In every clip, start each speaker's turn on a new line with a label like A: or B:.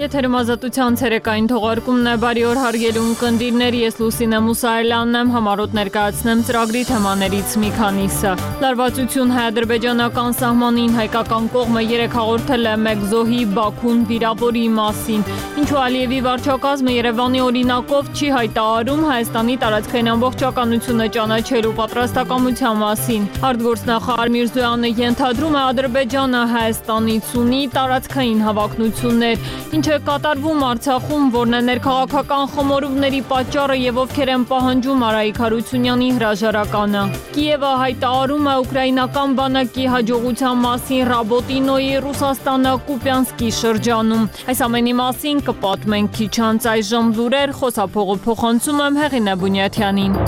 A: Եթերում ազատության ցերեկային թողարկումն է, բարի օր հարգելի ունկնդիրներ, ես Լուսինե Մուսայելյանն եմ, համառոտ ներկայացնեմ ծրագրի թեմաներից մի քանիսը։ Լարվածություն հայ-ադրբեջանական սահմանին հայկական կողմը երեկ հաղորդել է մեկ զոհի Բաքուն վիրավորի մասին, ինչու Ալիևի վարչակազմը Երևանի օրինակով չի հայտարարում Հայաստանի տարածքային ամբողջականությունը ճանաչելու պատրաստակամության մասին։ Արտգործնախարար Միրզոյանը ենթադրում է Ադրբեջանը Հայաստանից ունի տարածքային հավակնություններ, ինչ է կատարվում Արցախում, որն է ներքաղաքական խմորումների պատճառը եւ ովքեր են պահանջում Արայիկ Հարությունյանի հրաժարականը։ Կիևը հայտարարում է ուկրաինական բանակի հաջողության մասին Ռաբոտինոյի Ռուսաստանը Կուպյանսկի շրջանում։ Այս ամենի մասին կպատմենք քիչ անց, այժմ լուրեր, խոսափողը փոխանցում եմ Հեղինե Բունյաթյանին։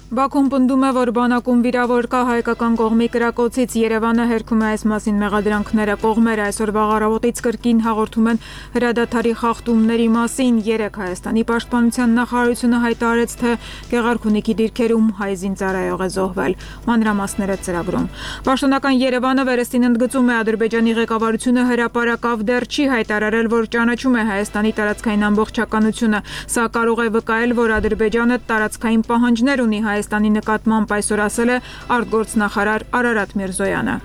B: Բաքուն պնդում է, որ բանակում վիրավոր կա հայկական կողմի կրակոցից, Երևանը հերքում է այս մասին մեղադրանքները, կողմերը այսօր առավոտից կրկին հաղորդում են հրադադարի խախտումների մասին, երեկ Հայաստանի պաշտպանության նախարարությունը հայտարարեց, թե Գեղարքունիքի դիրքերում հայ զինծառայող է զոհվել, մանրամասները ծրագրում։ Պաշտոնական Երևանը վերստին ընդգծում է Ադրբեջանի ղեկավարությունը հրապարակավ դեռ չի հայտարարել, որ ճանաչում է Հայաստանի տարածքային ամբողջականությունը, սա կարող է վկայել, որ Ադրբեջանը տարածքային պահանջներ ունի Հայաստանի նկատմամբ, այսօր ասել է արտգործնախարար Արարատ Միրզոյանը։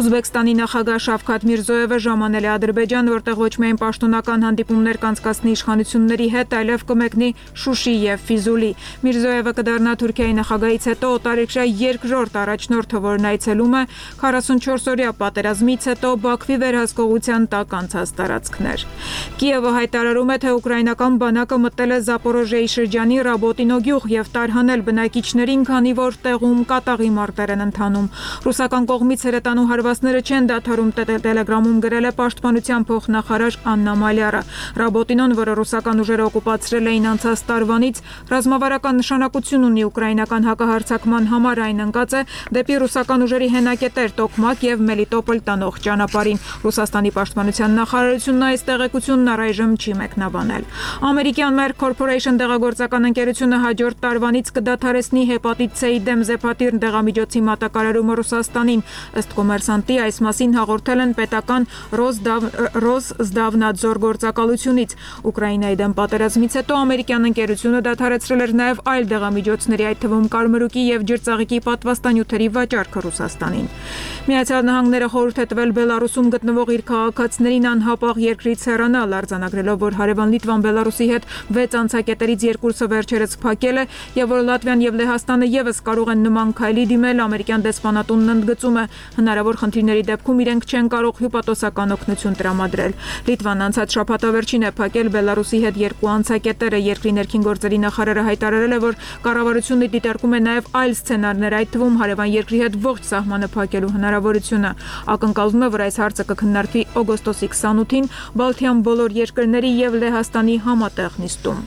B: Ուզբեկստանի նախագահ Շավքաթ Միրզոևը ժամանել է Ադրբեջան, որտեղ ոչ միայն պաշտոնական հանդիպումներ կանցկացնի իշխանությունների հետ, այլև կմեկնի Շուշի եւ Ֆիզուլի։ Միրզոևը կդառնա Թուրքիայի նախագահից հետո օտարերկրյա երկրորդ առաջնորդը, որն այցելում է 44-օրյա պատերազմից հետո Բաքվի վերահսկողության տակ անցած տարածքներ։ Կիևը հայտարարում է, թե ուկրաինական բանակը մտել է Զապորոժիայի շրջանի Ռաբոտինո գյուղ եւ տարհանել բնակիչներին, քանի որ տեղում կատաղի մարտեր են ընթանում։ Ռուսական կողմից հրետանու հարվածները չեն դադարում, Տելեգրամում գրել է պաշտպանության փոխնախարար Աննա Մալյարը։ Ռաբոտինոն, որը ռուսական ուժերը օկուպացրել էին անցած տարվանից, ռազմավարական նշանակություն ունի ուկրաինական հակահարձակման համար, այն ընկած է դեպի ռուսական ուժերի հենակետեր Տոկմակ եւ Մելիտոպոլ տանող ճանապարհին։ Ռուսաստանի պաշտպանության նախարարությունն այս տեղեկությունն առայժմ չի մեկնաբանել։ Ամերիկյան Merck Corporation դեղագործական ընկերությունը հաջորդ տարվանից կդադարեցնի հեպատիտ C-ի դեմ Զեպատիր դեղամիջոցի մատակարարումը Ռուսաստանին։ Ըստ Կոմերսանտի այս մասին հաղորդել են պետական Ռոսզդավնադզոր գործակալությունից։ Ուկրաինայի դեմ պատերազմից հետո ամերիկյան ընկերությունը դադարեցրել էր նաև այլ դեղամիջոցների, այդ թվում կարմրուկի եւ ջրծաղիկի պատվաստանյութերի վաճառքը Ռուսաստանին։ Միացյալ Նահանգները խորհուրդ է տվել Բելարուսում գտնվող իր քաղաքացիներին անհապաղ երկրից հեռանալ, արձանագրելով, որ հարևան Լիտվան Բելարուսի հետ 6 անցակետերից երկուսը վերջերս փակել է եւ որ Լատվիան եւ Լեհաստանը եւս կարող են նման քայլի դիմել, ամերիկյան դեսպանատունն ընդգծում է, հնարավոր խնդիրների դեպքում իրենք չեն կարող հյուպատոսական օգնություն տրամադրել։ Լիտվան անցած շաբաթավերջին է փակել Բելարուսի հետ երկու անցակետերը, երկրի ներքին գործերի նախարարը հայտարարել է, որ կառավարությունը դիտարկում է նաեւ այլ սցենարներ, այդ թվում հարևան երկրի հետ ողջ սահմանը փակելու հնարավորությունը։ Ակնկալվում է, որ այս հարցը կքննարկվի օգոստոսի 28-ին Բալթյան բոլոր երկրների եւ Լեհաստանի համատեղ նիստում։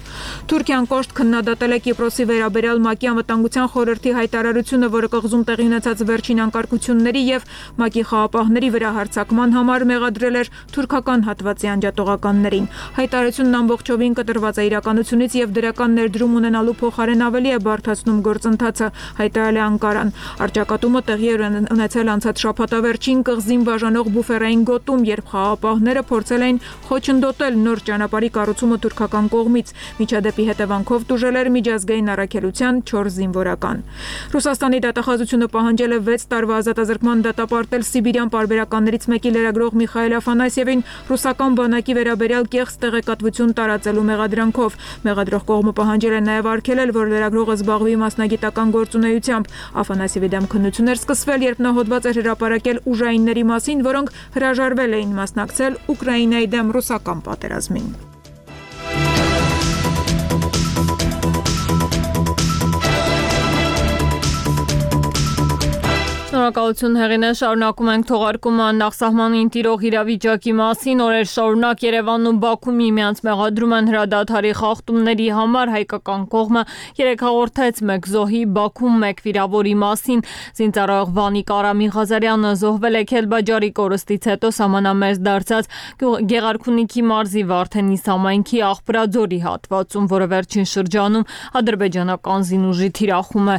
B: Թուրքիան կոշտ քննադատել է Կիպրոսի վերաբերյալ ՄԱԿ-ի անվտանգության խորհրդի հայտարարությունը, որը կղզում տեղի ունեցած վերջին անկարգությունների եւ ՄԱԿ-ի խաղապահների վրա հարձակման համար մեղադրել էր թուրքական հատվածի անջատողականներին։ Հայտարարությունն ամբողջովին կտրված է իրականությունից եւ դրական ներդրում ունենալու փոխարեն ավելի է բարդացնում գործընթացը, հայտարարել է Անկարան։ Առճակատումը տեղի էր ունեցել անցած շաբաթավերջին կղզին բաժանող բուֆերային գոտում, երբ խաղապահները փորձել էին խոչընդոտել նոր ճանապարհի կառուցումը թուրքական կողմից։ Միջադեպի հետևանքով տուժել էր միջազգային առաքելության 4 զինվորական։ Ռուսաստանի դատախազությունը պահանջել է 6 տարվա ազատազրկման դատապարտել Սիբիրյան պարբերականներից մեկի լրագրող Միխայել Աֆանասьևին ռուսական բանակի վերաբերյալ կեղծ տեղեկատվություն տարածելու մեղադրանքով։ Մեղադրող կողմը պահանջել է նաև արգելել, որ լրագրողը զբաղվի մասնագիտական գործունեությամբ։ Աֆանասьևի դեմ քննություն էր սկսվել, երբ նա հոդված էր հրապարակել ուժայինների մասին, որոնք հրաժարվել էին մասնակցել Ուկրաինայի դեմ ռուսական պատերազմին։
A: Շնորհակալություն Հեղինե, շարունակում ենք թողարկումը նախսահմանին տիրող իրավիճակի մասին, օրեր շարունակ Երևանն ու Բաքուն միմյանց մեղադրում են հրադադարի խախտումների համար, հայկական կողմը երեկ հաղորդեց մեկ զոհի Բաքվում մեկ վիրավորի մասին, զինծառայող Վանիկ Արամին Ղազարյանը զոհվել է Քելբաջարի կորստից հետո սահմանամերձ դարձած Գեղարքունիքի մարզի Վարդենիս համայնքի Աղբրաձորի հատվածում, որը վերջին շրջանում ադրբեջանական զինուժի թիրախում է։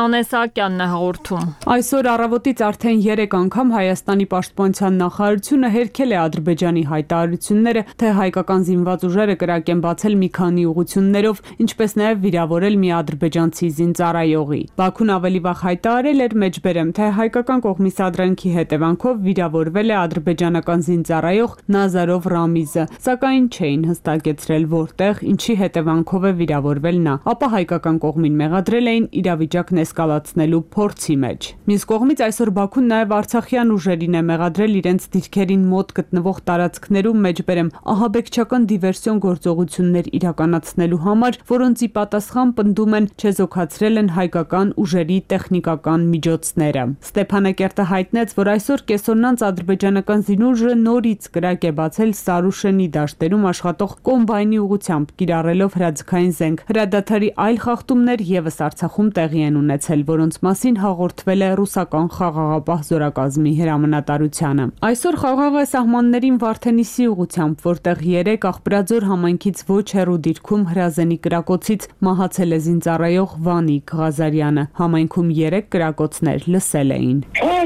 A: Նանե Սահակյանն է հաղորդում։
C: Այսօր առավոտից արդեն 3 անգամ Հայաստանի պաշտպանության նախարարությունը հերքել է Ադրբեջանի հայտարարությունները, թե հայկական զինված ուժերը կրակ են բացել մի քանի ուղղություններով, ինչպես նաև վիրավորել մի ադրբեջանցի զինծառայողի։ Բաքուն ավելի վաղ հայտարարել էր մեջբերեմ, թե հայկական կողմի սադրանքի հետևանքով վիրավորվել է ադրբեջանական զինծառայող Նազարով Ռամիզը, սակայն չէին հստակեցրել որտեղ, ինչի հետևանքով է վիրավորվել նա, ապա հայկական կողմին մեղադրել էին իրավիճակն էսկալացնելու փորձի մեջ։ Մյուս կողմից այսօր Բաքուն նաև արցախյան ուժերին է մեղադրել իրենց դիրքերին մոտ գտնվող տարածքներում մեջբերեմ ահաբեկչական դիվերսիոն գործողություններ իրականացնելու համար, որոնց ի պատասխան պնդում են չեզոքացրել են հայկական ուժերի տեխնիկական միջոցները։ Ստեփանակերտը հայտնեց, որ այսօր կեսօրնանց ադրբեջանական զինուժը նորից կրակ է բացել Սարուշենի դաշտերում աշխատող կոմբայնի ուղղությամբ, կիրառելով հրաձգային զենք։ Հրադադարի այլ խախտումներ ևս Արցախում տեղի են ունեցել, որոնց մասին հաղորդվել է ռուսական խաղաղապահ զորակազմի հրամանատարությանը։ Այսօր խաղաղ է սահմաններին Վարդենիսի ուղղությամբ, որտեղ 3 Աղբրաձոր համայնքից ոչ հեռու դիրքում հրազենի կրակոցից մահացել է զինծառայող Վանիկ Ղազարյանը։ Համայնքում 3 կրակոցներ լսել էին։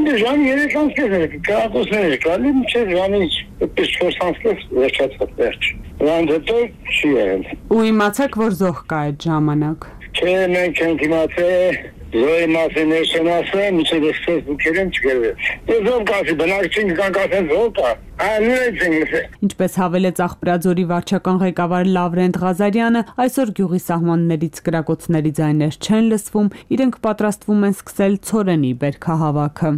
D: Ժամ 3 անցել կրակոցներ կալի մինչև ժամից 4 անցել վերջացավ վերջ։ Դրանց հետո չի եղել։
C: Ու իմացեք, որ զոհ կա այդ ժամանակ։
D: Չէ, մենք չենք իմացել, զոհի մասին չեն ասել, մինչև Facebook-երեն չգրվել։ Զոհ կասի, բնակչին կան կասեն զոհ կա։
C: Ինչպես հավելեց Աղբրաձորի վարչական ղեկավար Լավրենտ Ղազարյանը, այսօր գյուղի սահմաններից կրակոցների ձայներ չեն լսվում, իրենք պատրաստվում են սկսել ցորենի բերքահավաքը։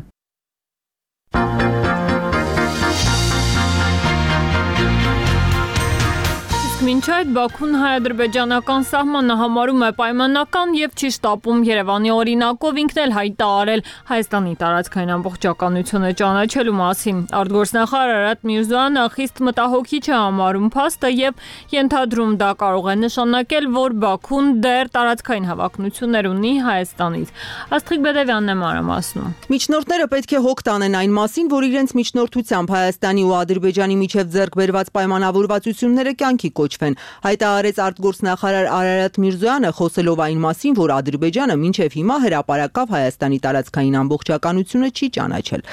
A: Մինչ այդ Բաքուն հայ-ադրբեջանական սահմանը համարում է պայմանական եւ չի շտապում Երևանի օրինակով ինքն էլ հայտարարել Հայաստանի տարածքային ամբողջականությունը ճանաչելու մասին։ Արտգործնախարար Արարատ Միրզոյանը խիստ մտահոգիչ է համարում փաստը եւ ենթադրում դա կարող է նշանակել, որ Բաքուն դեռ տարածքային հավակնություններ ունի Հայաստանից։ Աստղիկ Բեդևյանն է մանրամասնում։
E: Միջնորդները պետք է հոգ տանեն այն մասին, որ իրենց միջնորդությամբ Հայաստանի ու Ադրբեջանի միջև ձեռք բերված պայմանավորվածությունները կյանքի կոչվեն, հայտարարեց արտգործնախարար Արարատ Միրզոյանը, խոսելով այն մասին, որ Ադրբեջանը մինչև հիմա հրապարակավ Հայաստանի տարածքային ամբողջականությունը չի ճանաչել։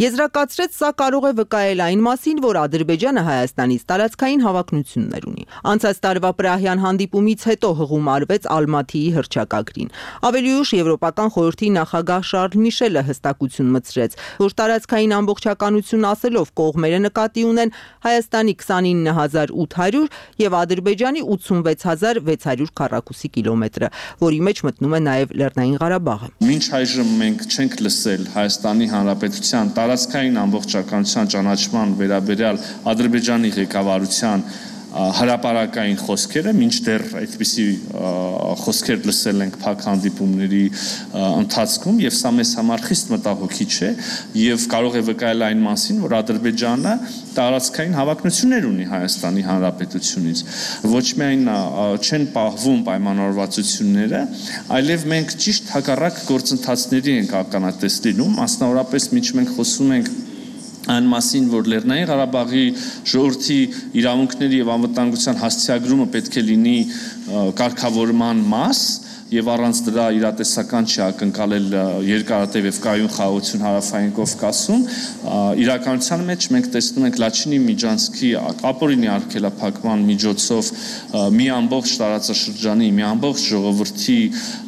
E: Եզրակացրեց, սա կարող է վկայել այն մասին, որ Ադրբեջանը Հայաստանից տարածքային հավակնություններ ունի։ Անցած տարվա Պրահյան հանդիպումից հետո հղում արվեց Ալմաթիի հռչակագրին։ Ավելի ուշ Եվրոպական խորհրդի նախագահ Շարլ Միշելը հստակություն մտցրեց, որ տարածքային ամբողջականություն ասելով կողմերը նկատի ունեն Հայաստանի 29800 եւ Ադրբեջանի 86600 քառակուսի կիլոմետրը, որի մեջ մտնում է նաև Լեռնային Ղարաբաղը։
F: Մինչ այժմ մենք չենք լսել Հայաստանի Հանրապետության տարածքային ամբողջականության ճանաչման վերաբերյալ Ադրբեջանի ղեկավարության հրապարակային խոսքերը, մինչդեռ այդպիսի խոսքեր լսել ենք փակ հանդիպումների ընթացքում եւ սա մեզ համար խիստ մտահոգիչ է եւ կարող է վկայել այն մասին, որ Ադրբեջանը տարածքային հավակնություններ ունի Հայաստանի Հանրապետությունից։ Ոչ միայն չեն պահվում պայմանավորվածությունները, այլև մենք ճիշտ հակառակ գործընթացների ենք ականատես լինում, մասնավորապես մինչ մենք խոսում ենք այն մասին, որ Լեռնային Ղարաբաղի ժողովրդի իրավունքների եւ անվտանգության հասցեագրումը պետք է լինի կարգավորման մաս եւ առանց դրա իրատեսական չի ակնկալել երկարատև եւ կայուն խաղաղություն հարավային Կովկասում, իրականության մեջ մենք տեսնում ենք Լաչինի Միջանցքի ապօրինի արգելափակման միջոցով մի ամբողջ տարածաշրջանի, մի ամբողջ ժողովրդի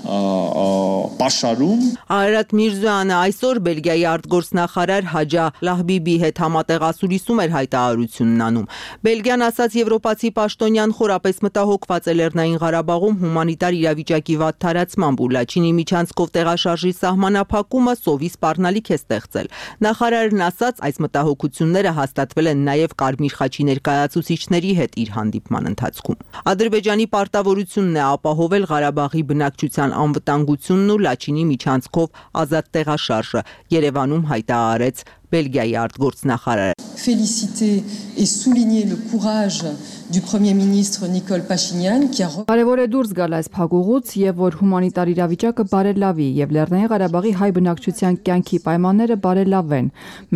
F: պաշարում։
E: Արարատ Միրզոյանը այսօր Բելգիայի արտգործնախարար Հաջա Լահբիբի հետ համատեղասուրիսում էր հայտարարությունն անում։ Բելգիան ասաց եվրոպացի պաշտոնյան խորապես մտահոգված է Լեռնային Ղարաբաղում հումանիտար իրավիճակի վատ տարածմամբ ու Լաչինի Միջանցքով տեղաշարժի սահմանափակումը սովի սպառնալիք է ստեղծել։ Նախարարն ասաց, այս մտահոգությունները հաստատվել են նաև Կարմիր խաչի ներկայացուցիչների հետ իր հանդիպման ընթացքում։ Ադրբեջանի պարտավորությունն է ապահովել Ղարաբաղի բնակչության անվտանգությունն ու Լաչինի Միջանցքով ազատ տեղաշարժը, Երևանում հայտարարեց Բելգիայի արտգործնախարարը։
G: Féliciter et souligner le courage du Premier ministre Nicole Pachinian qui a
H: Կարևոր է դուրս գալ այս փակուղուց եւ որ հումանիտար իրավիճակը բարելավի եւ Լեռնային Ղարաբաղի հայ բնակչության կյանքի պայմանները բարելավեն։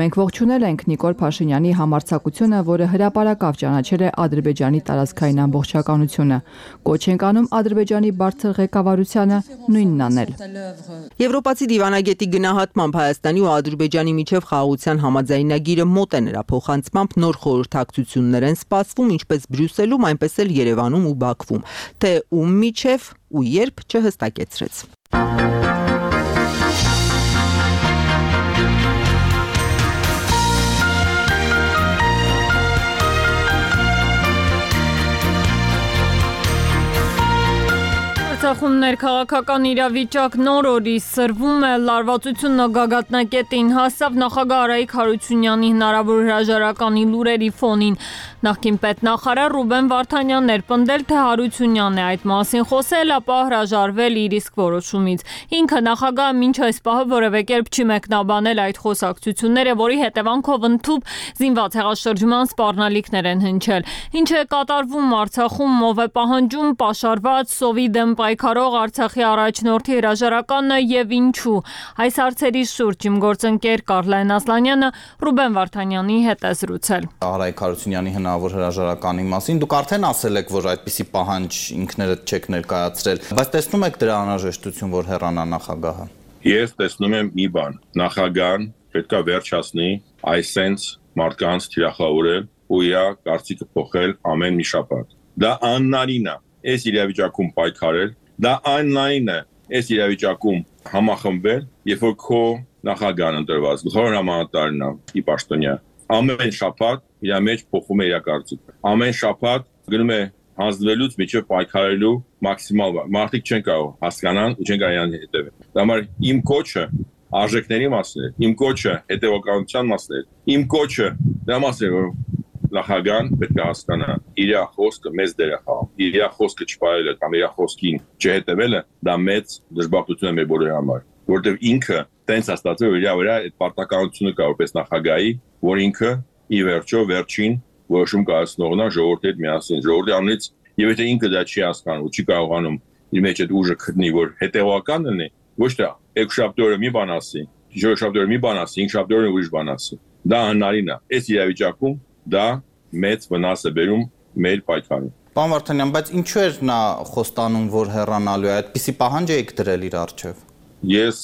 H: Մենք ողջունել ենք Նիկոլ Փաշինյանի համարձակությունը, որը հրապարակավ ճանաչել է Ադրբեջանի տարածքային ամբողջականությունը։ Կոչ ենք անում Ադրբեջանի բարձր ղեկավարությանը նույնն անել։
E: Եվրոպացի դիվանագետի գնահատմամբ Հայաստանի ու Ադրբեջանի միջև խաղաղության համաձայնագիրը մոտ է նրա փոխանցմամբ նոր խորհրդակցություններ են սպասվում ինչպես Բրյուսելում, այնպես էլ Երևանում ու Բաքվում, թե ում միջև ու երբ չհստակեցրեց։
A: Արցախում ներքաղաքական իրավիճակ նոր օրի սրվում է, լարվածությունը գագաթնակետին հասավ նախագահ Արայիկ Հարությունյանի հնարավոր հրաժարականի լուրերի ֆոնին։ Նախկին պետնախարար Ռուբեն Վարդանյանն էր պնդել, թե Հարությունյանն է այդ մասին խոսել, ապա հրաժարվել իր իսկ որոշումից։ Ինքը նախագահը մինչ այս պահը որևէ կերպ չի մեկնաբանել այդ խոսակցությունները, որի հետևանքով ընդཐུպ զինված հեղաշրջման սպառնալիքներ են հնչել։ Ինչ է կատարվում Արցախում, ով է պահանջում պաշարված սովի դեմ պայքարող Արցախի առաջնորդի հրաժարականը եւ ինչու։ Այս հարցերի շուրջ իմ գործընկեր Կարլեն Ասլանյանը Ռուբեն Վարդանյանի հետ է զրուցել։
I: Արայիկ Հարությունյանի հնարավոր հրաժարականի մասին դուք արդեն ասել եք, որ այդպիսի պահանջ ինքներդ չեք ներկայացրել, բայց տեսնում եք դրա անհրաժեշտություն, որ հեռանա նախագահը։
J: Ես տեսնում եմ մի բան, նախագահան պետքա վերջացնի այսենց մարդկանց թիրախավորել ու իր կարծիքը փոխել ամեն մի շաբաթ։ Դա աննարին է, այս իրավիճակում պայքարել, դա աննարին է, այս իրավիճակում համախմբել, երբ որ քո նախագահան ընտրված, գլխավոր հրամանատարն է, ի պաշտոնյա, ամեն շաբաթ իր մեջ փոխում է իր կարծիքը։ Ամեն շաբաթ գնում է հանձնվելուց միջև պայքարելու մաքսիմալ մարդիկ չեն կարող հասկանան ու չեն կարող հետևել։ Դա համար իմ կոչը արժեքների մասն է, իմ կոչը հետևականության մասն է, իմ կոչը դա մասն է, որ նախագահան պետք է հասկանա իր խոսքը մեծ դեր է խաղում, իր խոսքը չպայելը կամ իր խոսքին չհետևելը դա մեծ դժբախտություն է մեր բոլորի համար, որովհետև ինքը տենց ստացվել որ իր վրա այդ պարտականությունը կա որպես նախագահի, որ ինքը ի վերջո վերջին որոշում կայացնողն է ժողովրդի հետ միասին, ժողովրդի անունից եւ եթե ինքը դա չի հասկանում ու չի կարողանում իր մեջ այդ ուժը գտնի, որ հետեւական լինի, ոչ թե երկշաբթի օրը մի բան ասի, շաբթի օրը մի բան ասի, ինքշաբթի օրը ուրիշ բան ասի։ Դա անհնարին է։ Այս իրավիճակում դա մեծ վնաս է բերում մեր պայքարին։
I: Պարոն Վարդանյան, բայց ինչու էր նա խոստանում, որ հեռանալու է, այդպիսի պահանջ եք դրել իր առջև։
J: Ես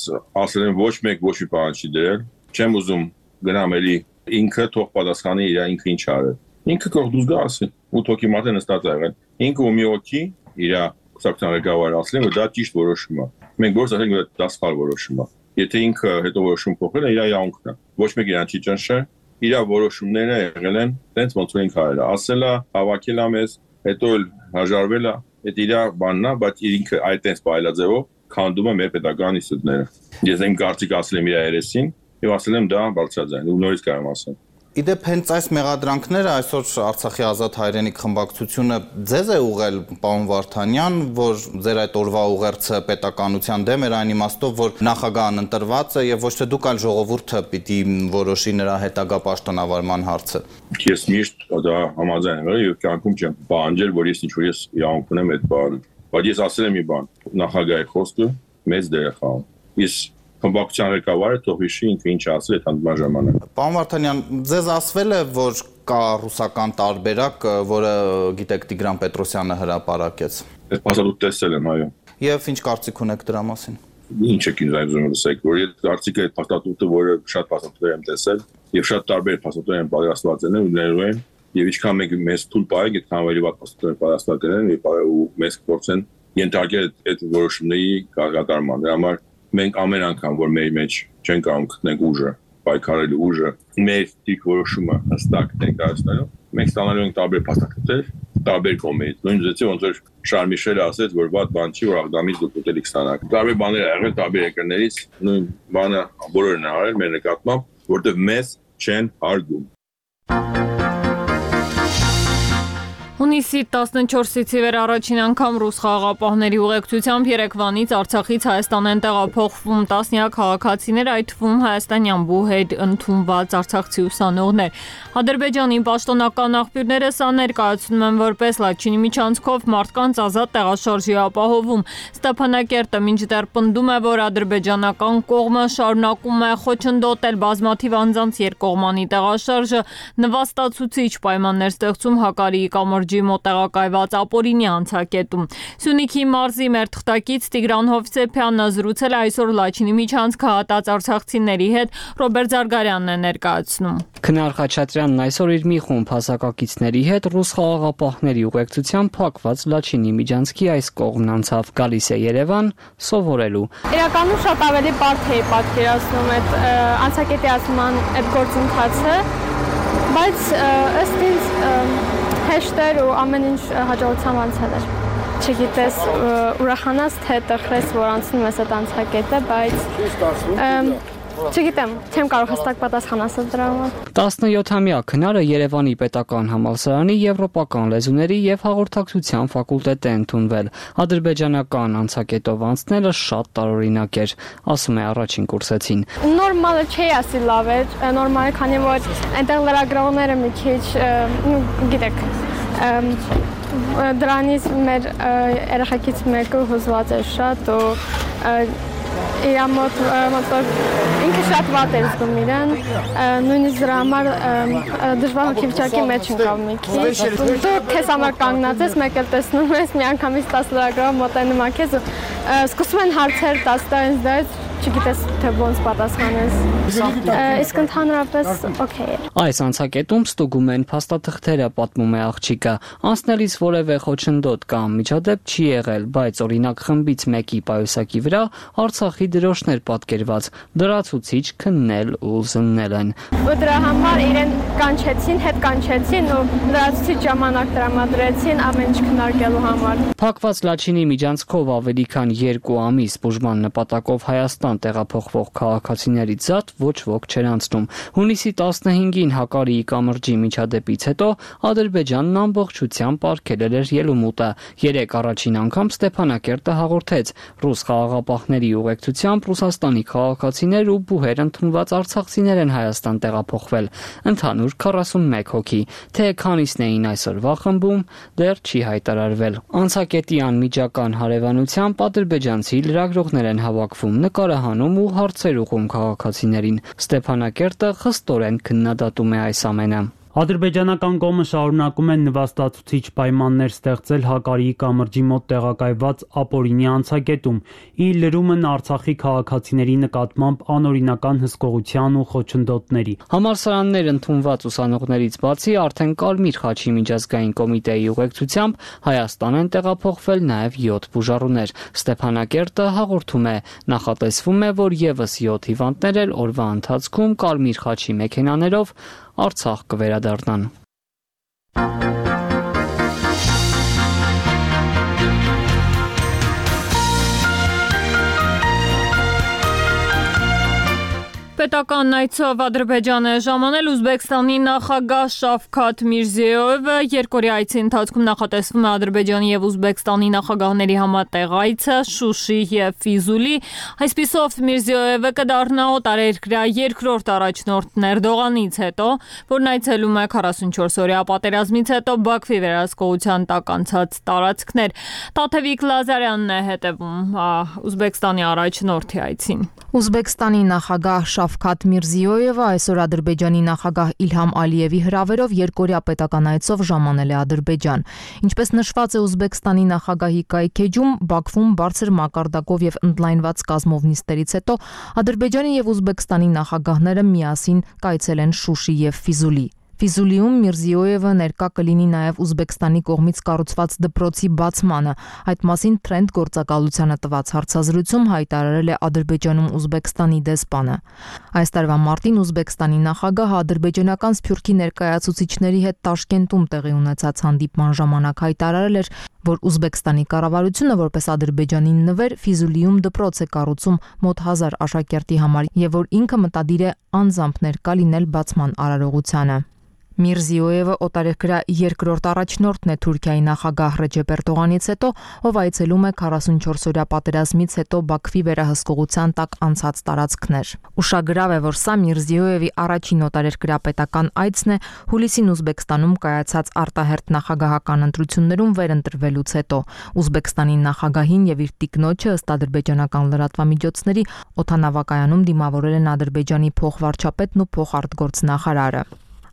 J: ասել եմ ոչ մեկ ոչ մի պահանջ չի դրել, չեմ ուզում գնամ էլի ինքը թող պատասխանի իր ինքը ինչ արել։ Ինքը կարող դուզ գա ասի, ու թոքի մատը նստած եղել։ Ինքը ու մի օքի իր կուսակցության ղեկավարը ասել են, որ դա ճիշտ որոշում է։ Մենք գործ ասենք, որ դա սխալ որոշում է։ Եթե ինքը հետո որոշում փոխել է, իր իրավունքն է։ Ոչ մեկ իրան չի ճնշել, իր որոշումները եղել են տենց ոնց որ ինքը արել է։ Ասել է, հավաքել է մեզ, հետո էլ հաջարվել է, այդ իր բանն է, բայց ինքը այդ տենց բայլաձևով քանդում է մեր պետական ինստիտուտները։ Ես իմ կարծիք ասել եմ իր երեսին եւ ասել եմ դա բարձրաձայն, ու նորից կարող եմ ասել։
I: Իդեպ հենց այս մեղադրանքները այսօր Արցախի ազատ հայրենիք խմբակցությունը ձեզ է ուղղել, պարոն Վարդանյան, որ ձեր այդ օրվա ուղերձը պետականության դեմ էր այն իմաստով, որ նախագահն ընտրված է եւ ոչ թե դուք այլ ժողովուրդը պիտի որոշի նրա հետագա պաշտոնավարման հարցը։ Ես
J: միշտ դա համաձայն եմ եւ կյանքում չեմ պահանջել, որ ես ինչ-որ ես իրավունք ունեմ այդ բանը։ Բայց ես ասել եմ մի բան, նախագահի խոսքը մեծ դեր է խաղում։ Ես խմբակցության ղեկավարը թող հիշի ինքը ինչ ասել այդ հանդիպման ժամանակ։
I: Պարոն Վարդանյան, ձեզ ասվել է, որ կա ռուսական տարբերակ, որը գիտեք Տիգրան Պետրոսյանը հրապարակեց։
J: Այդ փաստաթուղթը տեսել եմ, այո։
I: Եվ ինչ կարծիք ունեք դրա մասին։
J: Ինչ եք ինձ այժմ լսեք, որ այդ կարծիքը այդ փաստաթուղթը, որը շատ փաստաթուղթեր եմ տեսել, եւ շատ տարբեր փաստաթուղթեր են պատրաստված են ու ներու են, եւ ինչքան մենք մեզ թույլ պահենք, այդքան ավելի վատ փաստաթուղթեր պատրաստված են ու մեզ փորձեն ենթարկել այդ որոշումների կարգատարման։ Դրա համար մենք ամեն անգամ, որ մեր մեջ չեն կարող գտնենք ուժը, պայքարելու ուժը, մեր դիք որոշումը հստակ ներկայացնելու, մենք ստանալու ենք տարբեր փաստաթղթեր, տարբեր կողմերից։ Նույն ձեւի ոնց որ Շարլ Միշելը ասեց, որ վատ բան չի, որ Աղդամից դուք ուտելիք ստանաք։ Տարբեր բաներ ա եղել տարբեր երկրներից, նույն բանը բոլորն են արել մեր նկատմամբ, որտեղ մեզ չեն հարգում։
A: Հունիսի 14-ից ի վեր առաջին անգամ ռուս խաղաղապահների ուղեկցությամբ Երևանից Արցախից Հայաստան են տեղափոխվում տասնյակ քաղաքացիներ, այդ թվում հայաստանյան բուհեր ընդունված արցախցի ուսանողներ։ Ադրբեջանի պաշտոնական աղբյուրները սա ներկայացնում են որպես Լաչինի միջանցքով մարդկանց ազատ տեղաշարժի ապահովում։ Ստեփանակերտը մինչդեռ պնդում է, որ ադրբեջանական կողմը շարունակում է խոչընդոտել բազմաթիվ անձանց երկկողմանի տեղաշարժը, նվաստացուցիչ պայմաններ ստեղծում Հակարիի կամրջի մոտ տեղակայված ապօրինի անցակետում։ Սյունիքի մարզի մեր թղթակից Տիգրան Հովսեփյանը զրուցել է այսօր Լաչինի միջանցքը հատած արցախցիների հետ, Ռոբերտ Զարգարյանն է ներկայացնում։
K: Քնար Խաչատրյանն այսօր իր մի խումբ հասակակիցների հետ ռուս խաղաղապահների ուղեկցությամբ փակված Լաչինի միջանցքի այս կողմն անցավ, գալիս է Երևան սովորելու։
L: Իրականում շատ ավելի բարդ էի պատկերացնում այդ անցակետիացման այդ գործընթացը, բայց ըստ ինձ հեշտ էր ու ամեն ինչ հաջողությամբ անցել էր։ Չգիտես, ուրախանաս թե տխրես, որ անցնում ես այդ անցակետը, բայց չգիտեմ, չեմ կարող հստակ պատասխան ասել դրա համար։
K: 17-ամյա քնարը Երևանի պետական համալսարանի եվրոպական լեզուների եւ հաղորդակցության ֆակուլտետ է ընդունվել։ Ադրբեջանական անցակետով անցնելը շատ տարօրինակ էր, ասում է առաջին կուրսեցին։
L: Նորմալը չի ասի լավ էր, նորմալ, քանի որ այնտեղ լրագրողները մի քիչ, գիտեք, դրանից մեր երեխեքից մեկը հուզված էր շատ ու իր մոտ ինքը շատ վատ էր զգում իրեն, նույնիսկ դրա համար դժվար հոգեվիճակի մեջ ընկավ մի քիչ։ Դու քեզ համար կանգնած ես, մեկ էլ տեսնում ես, միանգամից 10 լրագրող մոտենում է քեզ ու սկսում են հարցեր տալ ինձ, չգիտես թե ոնց պատասխանես։ Իսկ ընդհանրապես օքեյ է։
K: Այս անցակետում ստուգում են փաստաթղթերը, պատմում է աղջիկը։ Անցնելիս որևէ խոչընդոտ կամ միջադեպ չի եղել, բայց օրինակ խմբից մեկի պայուսակի վրա Արցախի դրոշներ պատկերված, լրացուցիչ քննել ու զննել են։
L: Դրա համար իրեն կանչեցին, հետ կանչեցին ու լրացուցիչ ժամանակ տրամադրեցին ամեն ինչ քննարկելու համար։
K: Փակված Լաչինի միջանցքով ավելի քան 2 ամիս բուժման նպատակով Հայաստան տեղափոխվող քաղաքացիներից զատ ոչ ոք չեր անցնում։ Հունիսի 15-ին Հակարիի կամրջի միջադեպից հետո Ադրբեջանն ամբողջությամբ արգելել էր ելումուտը։ 3 առաջին անգամ Ստեփանակերտը հաղորդեց ռուս խաղաղապահների ուղեկցությամբ Ռուսաստանի քաղաքացիներ ու բուհեր ընդունված արցախցիներ են Հայաստան տեղափոխվել։ Ընդհանուր 41 հոգի, թե քանիսն էին այսօրվա խմբում, դեռ չի հայտարարվել։ Անցակետի անմիջական հարևանությամբ ադրբեջանցի լրագրողներ են հավաքվում, նկարահանում ու հարցեր ուղղում քաղաքացիներին։ Ստեփանակերտը խստորեն քննադատում է այս ամենը։
M: Ադրբեջանական կողմը շարունակում է նվաստացուցիչ պայմաններ ստեղծել Հակարիի կամրջի մոտ տեղակայված ապօրինի անցակետում, ի լրումն Արցախի քաղաքացիների նկատմամբ անօրինական հսկողության ու խոչընդոտների։
K: Համալսարաններ ընդունված ուսանողներից բացի արդեն Կարմիր խաչի միջազգային կոմիտեի ուղեկցությամբ Հայաստան են տեղափոխվել նաև 7 բուժառուներ։ Ստեփանակերտը հաղորդում է, նախատեսվում է, որ եւս 7 հիվանդներ էլ օրվա ընթացքում Կարմիր խաչի մեքենաներով Արցախ կվերադառնան։
A: Պետական այցով Ադրբեջան է ժամանել Ուզբեկստանի նախագահ Շավքաթ Միրզիոևը։ Երկօրյա այցի ընթացքում նախատեսվում է Ադրբեջանի եւ Ուզբեկստանի նախագահների համատեղ այցը Շուշի եւ Ֆիզուլի։ Այսպիսով Միրզիոևը կդառնա օտարերկրյա երկրորդ առաջնորդն Էրդողանից հետո, որն այցելում է 44-օրյա պատերազմից հետո Բաքվի վերահսկողության տակ անցած տարածքներ։ Տաթևիկ Լազարյանն է հետևում Ուզբեկստանի առաջնորդի այցին։
N: Ուզբեկստանի նախագահ Շավքաթ Միրզիոևը այսօր Ադրբեջանի նախագահ Իլհամ Ալիևի հրավերով երկօրյա պետական այցով ժամանել է Ադրբեջան։ Ինչպես նշված է Ուզբեկստանի նախագահի կայքեջում, Բաքվում բարձր մակարդակով եւ ընդլայնված կազմով նիստերից հետո Ադրբեջանի եւ Ուզբեկստանի նախագահները միասին կայցել են Շուշի եւ Ֆիզուլի։ Ֆիզուլիում Միրզիոևը ներկա կլինի նաև Ուզբեկստանի կողմից կառուցված դպրոցի բացմանը։ Այդ մասին Trend գործակալությանը տված հարցազրույցում հայտարարել է Ադրբեջանում Ուզբեկստանի դեսպանը։ Այս տարվա մարտին Ուզբեկստանի նախագահը ադրբեջանական Սփյուռքի ներկայացուցիչների հետ Տաշկենտում տեղի ունեցած հանդիպման ժամանակ հայտարարել էր, որ Ուզբեկստանի կառավարությունը որպես Ադրբեջանի նվեր Ֆիզուլիում դպրոց է կառուցում մոտ 1000 աշակերտի համար եւ որ ինքը մտադիր է անձամբ ներկա լինել բացման արարողությանը։ Միրզիոևը օտարերկրյա երկրորդ առաջնորդն է Թուրքիայի նախագահ Ռեջեփ Էրդողանից հետո, ով այցելում է 44-օրյա պատերազմից հետո Բաքվի վերահսկողության տակ անցած տարածքներ։ Ուշագրավ է, որ սա Միրզիոևի առաջին օտարերկրյա պետական այցն է հուլիսին Ուզբեկստանում կայացած արտահերթ նախագահական ընտրություններում վերընտրվելուց հետո։ Ուզբեկստանի նախագահին եւ իր տիկնոջը ըստ ադրբեջանական լրատվամիջոցների օդանավակայանում դիմավորել են Ադրբեջանի փոխվարչապետն ու փոխարտգործնախարարը։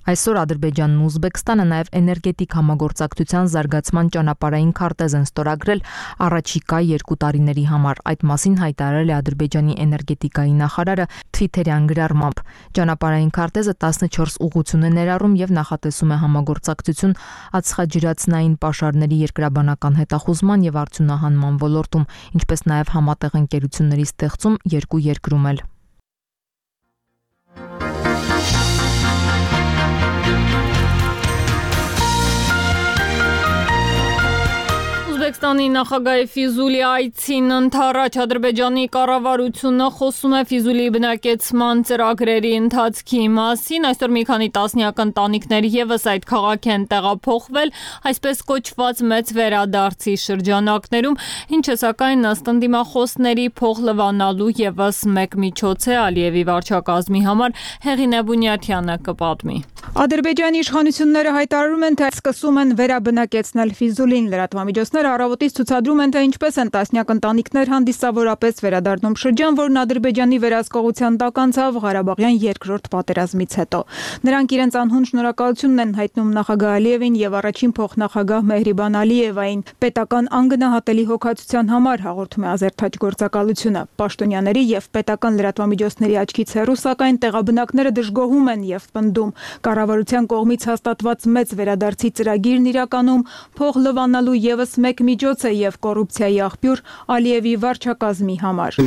N: Այսօր Ադրբեջանն ու Ուզբեկստանը նաև էներգետիկ համագործակցության զարգացման ճանապարհային քարտեզ են ստորագրել առաջիկա 2 տարիների համար։ Այդ մասին հայտարարել է Ադրբեջանի էներգետիկայի նախարարը Թվիթերյան գրառմամբ։ Ճանապարհային քարտեզը 14 ուղղություն է ներառում եւ նախատեսում է համագործակցություն ածխաջրածնային պաշարների երկրաբանական հետախուզման եւ արդյունահանման ոլորտում, ինչպես նաև համատեղ ընկերությունների ստեղծում 2 երկրում էլ։
A: Ուզբեկստանի նախագահի Ֆիզուլի այցին ընդառաջ Ադրբեջանի կառավարությունը խոսում է Ֆիզուլի բնակեցման ծրագրերի ընթացքի մասին։ Այսօր մի քանի տասնյակ ընտանիքներ եւս այդ քաղաք են տեղափոխվել, այսպես կոչված մեծ վերադարձի շրջանակներում, ինչը սակայն ըստ ընդդիմախոսների փոխլվանալու եւս մեկ միջոց է Ալիևի վարչակազմի համար։ Հեղինե Բունյաթյանը կպատմի։
B: Ադրբեջանի իշխանությունները հայտարարում են, թե սկսում են վերաբնակեցնել Ֆիզուլին։ Լրատվամիջոցները առավոտից ցուցադրում են, թե ինչպես են տասնյակ ընտանիքներ հանդիսավորապես վերադառնում շրջան, որն Ադրբեջանի վերահսկողության տակ անցավ Ղարաբաղյան երկրորդ պատերազմից հետո։ Նրանք իրենց անհուն շնորհակալությունն են հայտնում նախագահ Ալիևին եւ առաջին փոխնախագահ Մեհրիբան Ալիևային պետական անգնահատելի հոգացության համար, հաղորդում է Ազերթաջ գործակալությունը։ Պաշտոնյաների եւ պետական լրատվամիջոցների աչքից հեռու, սակայն տեղաբնակները դժգոհում են եւ պնդում։ Կառավարության կողմից հաստատված մեծ վերադարձի ծրագիրն իրականում փոխլվանալու եւս մեկ միջոց է եւ կոռուպցիայի աղբյուր Ալիևի վարչակազմի համար։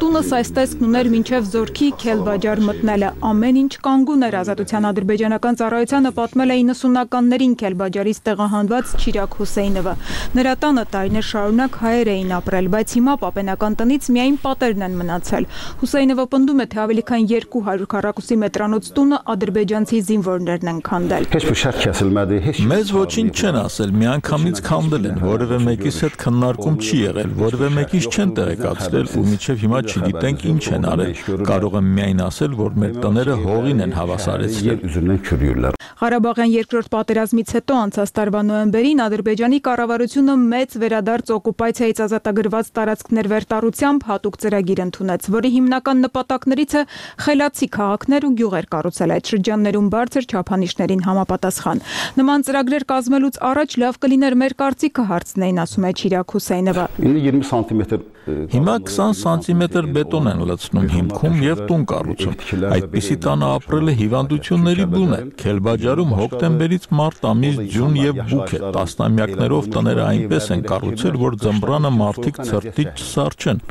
B: Տունս այս տեսքն ուներ մինչև Զորքի Քելբաջար մտնելը։ Ամեն ինչ կանգուն էր։ Ազատության ադրբեջանական ծառայությանը պատմել է 90-ականներին Քելբաջարից տեղահանված Չիրակ Հուսեյնովը։ Նրա տանը տարիներ շարունակ հայեր էին ապրել, բայց հիմա պապենական տնից միայն պատերն են մնացել։ Հուսեյնովը պնդում է, թե ավելի քան 200 քառակուսի մետրանոց տունը ադրբեջանցի զինվորներն են քանդել։
O: Մեզ ոչինչ չեն ասել, միանգամից քանդել են, որևէ մեկիս հետ քննարկում չի եղել, որևէ մեկից չեն տեղեկացրել ու մինչև հիմա չգիտենք ինչ են արել։ Կարող եմ միայն ասել, որ մեր տները հողին են հավասարեցրել։
B: Ղարաբաղյան երկրորդ պատերազմից հետո անցած տարվա նոյեմբերին Ադրբեջանի կառավարությունը մեծ վերադարձ օկուպացիայից ազատագրված տարածքներ վերտառությամբ հատուկ ծրագիր ընդունեց, որի հիմնական նպատակներից է խելացի քաղաքներ ու գյուղեր կառուցել այդ շրջաններում բարձր չափանիշներին համապատասխան։ Նման ծրագրեր կազմելուց առաջ լավ կլիներ մեր կարծիքը հարցնեին, ասում է Չիրակ Հուսեյնովը։
O: Հիմա 20 սանտիմետր բետոն են լցնում հիմքում եւ տուն կառուցում։ Այդպիսի տանը ապրելը հիվանդությունների բուն է։ Քելբաջարում հոկտեմբերից մարտ ամիս ձյուն եւ բուք է։ Տասնամյակներով տները այնպես են կառուցել, որ ձմռանը մարդիկ ցրտի չսարճեն։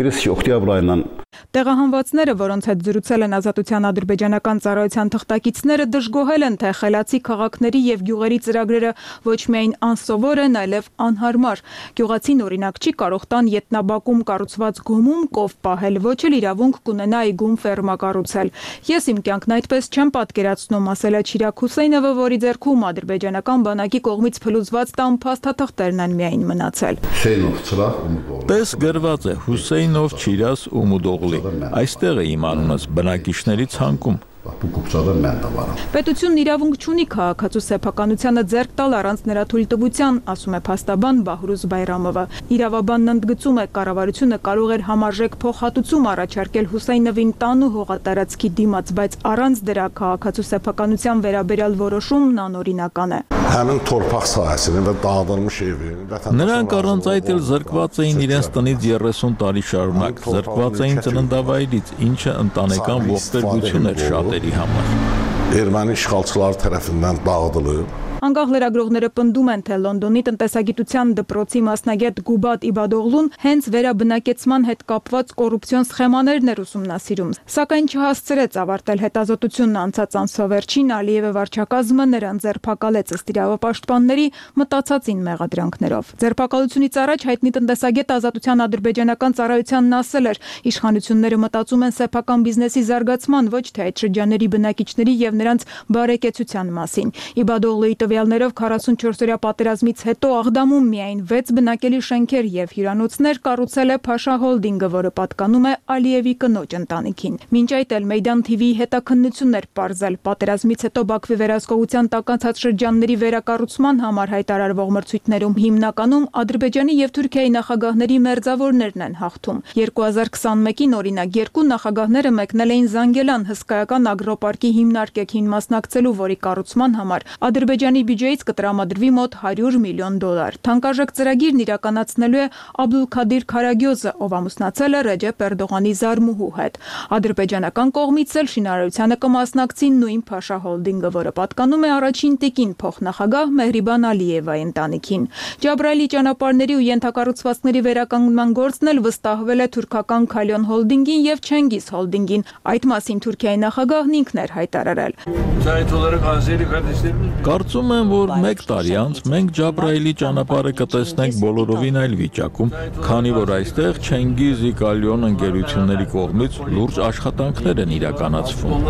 B: Տեղահանվածները, որոնց հետ զրուցել են Ազատության ադրբեջանական ծառայության թղթակիցները, դժգոհել են, թե խելացի քաղաքների եւ գյուղերի ծրագրերը ոչ միայն անսովոր են, այլև անհարմար։ Գյուղացին օրինակ չի կարող տան ետնաբակում կառուցված գոմում կով պահել, ոչ էլ իրավունք կունենա այգում ֆերմա կառուցել։ Ես իմ կյանքն այդպես չեմ պատկերացնում, ասել է Չիրակ Հուսեյնովը, որի ձեռքում ադրբեջանական բանակի կողմից փլուզված տան փաստաթղթերն են միայն մնացել։
O: Տես գրված է Հուսեյնով Չիրաս Ումուդօղլի։ Այստեղ է իմ անունս բնակիչների ցանկում։
B: Պետությունն իրավունք չունի քաղաքացու սեփականությանը ձեռք տալ առանց նրա թույլտվության, ասում է փաստաբան Բահրուզ Բայրամովը։ Իրավաբանն ընդգծում է, կառավարությունը կարող էր համարժեք փոխհատուցում առաջարկել Հուսեյնովին տան ու հողատարածքի դիմաց, բայց առանց դրա քաղաքացու սեփականության վերաբերյալ որոշումն անօրինական է։
O: Նրանք առանց այդ էլ զրկված էին իրենց տնից 30 տարի շարունակ, զրկված էին ծննդավայրից, ինչը ընտանեկան ողբերգություն էր շատ համար։
P: Erməni işğalçıları tərəfindən dağıdılıb.
B: Անկախ լրագրողները պնդում են, թե Լոնդոնի տնտեսագիտության դպրոցի մասնագետ Գուբատ Իբադօղլուն հենց վերաբնակեցման հետ կապված կոռուպցիոն սխեմաներն էր ուսումնասիրում, սակայն չհասցրեց ավարտել հետազոտությունն անցած ամսվերջին Ալիևը վարչակազմը նրան ձերբակալեց ըստ իրավապաշտպանների մտածածին մեղադրանքներով։ Ձերբակալությունից առաջ հայտնի տնտեսագետ Ազատության ադրբեջանական ծառայությանն ասել էր, իշխանությունները մտածում են սեփական բիզնեսի զարգացման, ոչ թե այդ շրջանների բնակիչների եւ նրանց բարեկեցության մասին։ Իբադօղլուի տվյալներով 44-օրյա պատերազմից հետո Աղդամում միայն 6 բնակելի շենքեր եւ հյուրանոցներ կառուցել է Փաշա Հոլդինգը, որը պատկանում է Ալիևի կնոջ ընտանիքին։ Մինչ այդ էլ Մեյդան TV-ի հետաքննություններ պարզել պատերազմից հետո Բաքվի վերահսկողության տականցած շրջանների վերակառուցման համար հայտարարվող մրցույթներում հիմնականում Ադրբեջանի եւ Թուրքիայի նախագահների մերձավորներն են հաղթում։ 2021-ին օրինակ երկու նախագահները մեկնել էին Զանգելան հսկայական ագրոպարկի հիմնարկեքին մասնակցելու, որի կառուցման համար Ադրբեջանի բյուջեից կտրամադրվի մոտ $100 միլիոն։ Թանկարժեք ծրագիրն իրականացնելու է Աբդուլքադիր Քարագյոզը, ով ամուսնացել է Ռեջեփ Էրդողանի զարմուհու հետ։ Ադրբեջանական կողմից էլ շինարարությանը կմասնակցի նույն Փաշա Հոլդինգը, որը պատկանում է առաջին տիկին փոխնախագահ Մեհրիբան Ալիևայի ընտանիքին։ Ջաբրայելի ճանապարհների ու ենթակառուցվածքների վերականգնման գործն էլ վստահվել է թուրքական Քալյոն Հոլդինգին եւ Չենգիզ Հոլդինգին։ Այդ մասին Թուրքիայի նախագահն ինքն էր հայտարարել։
O: Կարծում եմ, որ 1 տարի անց մենք Ջաբրայելի ճանապարհը կտեսնենք բոլորովին այլ վիճակում, քանի որ այստեղ Չենգիզ Կալյոն ընկերությունների կողմից լուրջ աշխատանքներ են իրականացվում։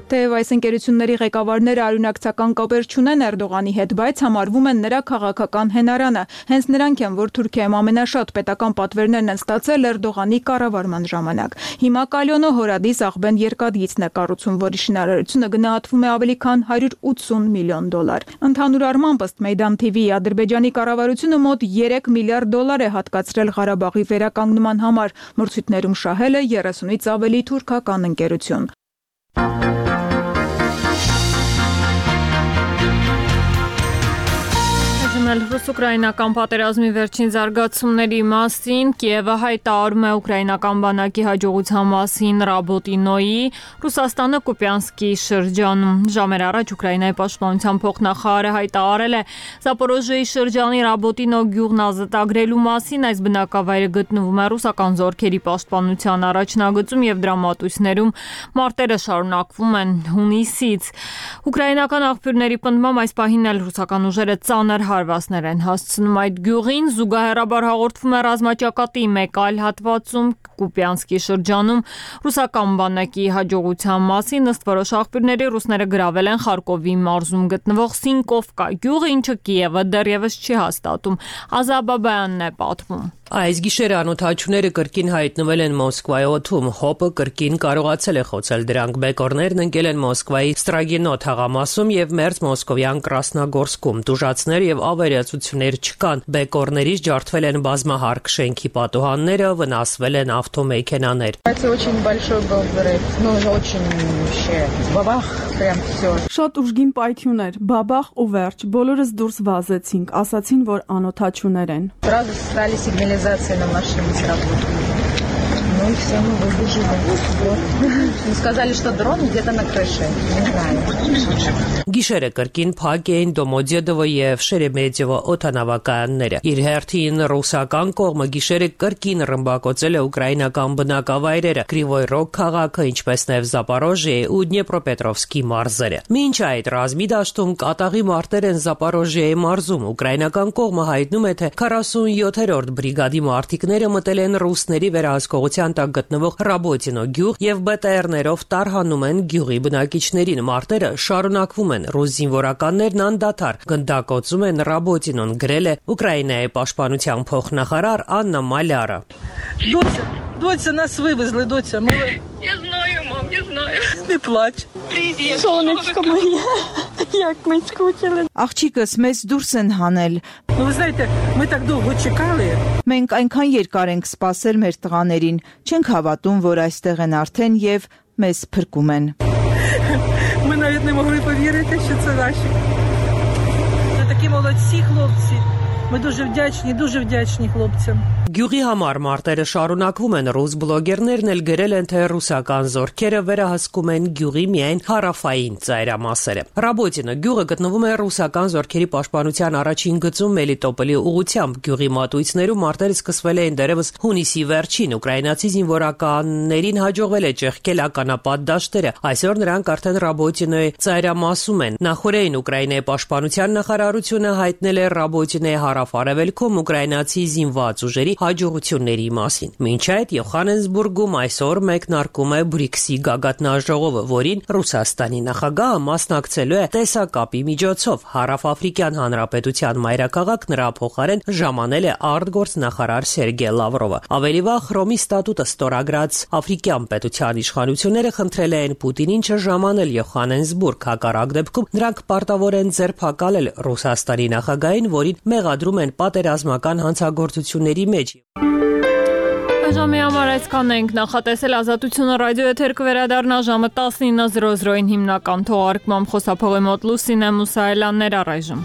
B: Թեև այս ընկերությունների ղեկավարները արյունակցական կապեր չունեն Էրդողանի հետ, բայց համարվում են նրա քաղաքական հենարանը։ Հենց նրանք են, որ Թուրքիայում ամենաշատ պետական պատվերներն են ստացել Էրդողանի կառավարման ժամանակ։ Հիմա Կալյոնը հորադիս աղբեն երկաթգիծն է կառուցում, որի շինարարությունը գնահատվում է ավելի քան $180 միլիոն։ Ընդհանուր առմամբ ըստ Մեյդան TV-ի Ադրբեջանի կառավարությունը մոտ $3 միլիարդ է հատկացրել Ղարաբաղի վերականգնման համար։ Մրցույթներում շահել է 30-ից ավելի թուրքական ընկերություն։
A: Ռուս-ուկրաինական պատերազմի վերջին զարգացումների մասին Կիևը հայտարարում է ուկրաինական բանակի հաջողության մասին Ռաբոտինոյի Ռուսաստանը Կուպյանսկի շրջանում։ Ժամեր առաջ Ուկրաինայի պաշտպանության փոխնախարարը հայտարարել է Զապորոժիեի շրջանի Ռաբոտինո գյուղն ազատագրելու մասին։ Այս բնակավայրը գտնվում է ռուսական զորքերի պաշտպանության առաջնագծում եւ դրա մատույցներում մարտերը շարունակվում են հունիսից։ Ուկրաինական աղբյուրների պնդմամբ այս պահին էլ ռուսական ուժերը ծանր հարվածներ են հասցնում այդ գյուղին։ Զուգահեռաբար հաղորդվում է ռազմաճակատի մեկ այլ հատվածում Կուպյանսկի շրջանում ռուսական բանակի հաջողության մասին։ Ըստ որոշ աղբյուրների ռուսները գրավել են Խարկովի մարզում գտնվող Սինկովկա գյուղը, ինչը Կիևը դեռևս չի հաստատում։ Ազաբաբյանն է պատմում։
P: Այս գիշերը անօթաչուները կրկին հայտնվել են Մոսկվայի օդում։ ՀՕՊ-ը կրկին կարողացել է խոցել դրանք։ Բեկորներն ընկել են Մոսկվայի Ստրագինո թաղամասում եւ մերձ մոսկովյան Կրասնագորսկում։ Տուժածներ եւ ավերածություններ չկան։ Բեկորներից ջարդվել են բազմահարկ շենքի պատուհանները, վնասվել են ավտոմեքենաներ։
Q: Շատ ուժգին պայթյուն էր, բաբախ ու վերջ, բոլորս դուրս վազեցինք, ասացին, որ անօթաչուներ են։
R: На машине сработала. Ну и все, мы выбежали. Вот. Сказали, что дрон где-то на крыше. Не знаю.
P: Գիշերը կրկին փակ էին Դոմոդեդովը եւ Շերեմետյևը օդանավակայանները։ Իր հերթին ռուսական կողմը գիշերը կրկին ռմբակոծել է ուկրաինական բնակավայրերը, Կրիվոյ Ռոգ քաղաքը, ինչպես նաեւ Զապորոժիեի ու Դնեպրոպետրովսկի մարզերը։ Մինչ այդ ռազմի դաշտում կատաղի մարտեր են Զապորոժիեի մարզում։ Ուկրաինական կողմը հայտնում է, թե 47-րդ բրիգադի մարտիկները մտել են ռուսների վերահսկողության տակ գտնվող Ռաբոտինո գյուղ եւ ԲՏՌ-ներով տարհանում են գյուղի բնակիչներին։ Մարտերը շարունակվում են։ Ռուս զինվորականներն անդադար գնդակոծում են Ռաբոտինոն, գրել է Ուկրաինայի պաշտպանության փոխնախարար Աննա Մալյարը։
S: Доця, нас вывезли, доця.
R: Я знаю, мам, я знаю.
S: Не плач.
R: Привет.
S: Солнышко мое. Як ми скучили.
T: Աղջիկս մեզ դուրս են հանել։
S: Ну, вы знаете, мы так долго чекали.
T: Մենք այնքան երկար ենք սպասել մեր տղաներին, չենք havատում, որ այստեղ են արդեն եւ մեզ փրկում են։
S: Ми навіть не могли повірити, що це наші. Це такі молодці хлопці. Ми дуже вдячні хлопцям.
P: Գյուղի համար մարտերը շարունակվում են, ռուս բլոգերներն էլ գրել են, թե ռուսական զորքերը վերահսկում են գյուղի միայն հարավային ծայրամասերը։ Ռաբոտինը գյուղը գտնվում է ռուսական զորքերի պաշտպանության առաջին գծում Մելիտոպոլի ուղությամբ։ Գյուղի մատույցներում մարտերը սկսվել էին դեռևս հունիսի վերջին։ Ուկրաինացի զինվորականներին հաջողվել է ճեղքել ականապատ դաշտերը։ Այսօր նրանք արդեն Ռաբոտինոյի ծայրամասում են։ Նախորդին Ուկրաինայի պաշտպանության նախարարությունը հայտնել է Ռաբոտինոյի հարավ-արևելքում ուկրաինացի զինված ուժերի հաջողությունների մասին։ Մինչ այդ Յոհաննեսբուրգում այսօր մեկնարկում է BRICS-ի գագաթնաժողովը, որին Ռուսաստանի նախագահը մասնակցելու է տեսակապի միջոցով։ Հարավաֆրիկյան Հանրապետության մայրաքաղաք նրա փոխարեն ժամանել է արտգործնախարար Սերգեյ Լավրովը։ Ավելի վաղ Հռոմի ստատուտը ստորագրած աֆրիկյան պետության իշխանությունները խնդրել են Պուտինին չժամանել Յոհաննեսբուրգ, հակառակ դեպքում նրանք պարտավոր են ձերբակալել Ռուսաստանի նախագահին, որին մեղադրում են պատերազմական հանցագործությունների մեջ։
A: Ժամի համար այսքանն ենք, նախատեսել Ազատությունը ռադիո եթեր կվերադառնա ժամը 19:00-ին հիմնական թողարկմամբ, խոսափողի մոտ Լուսինե Մուսայելյաններ առայժմ։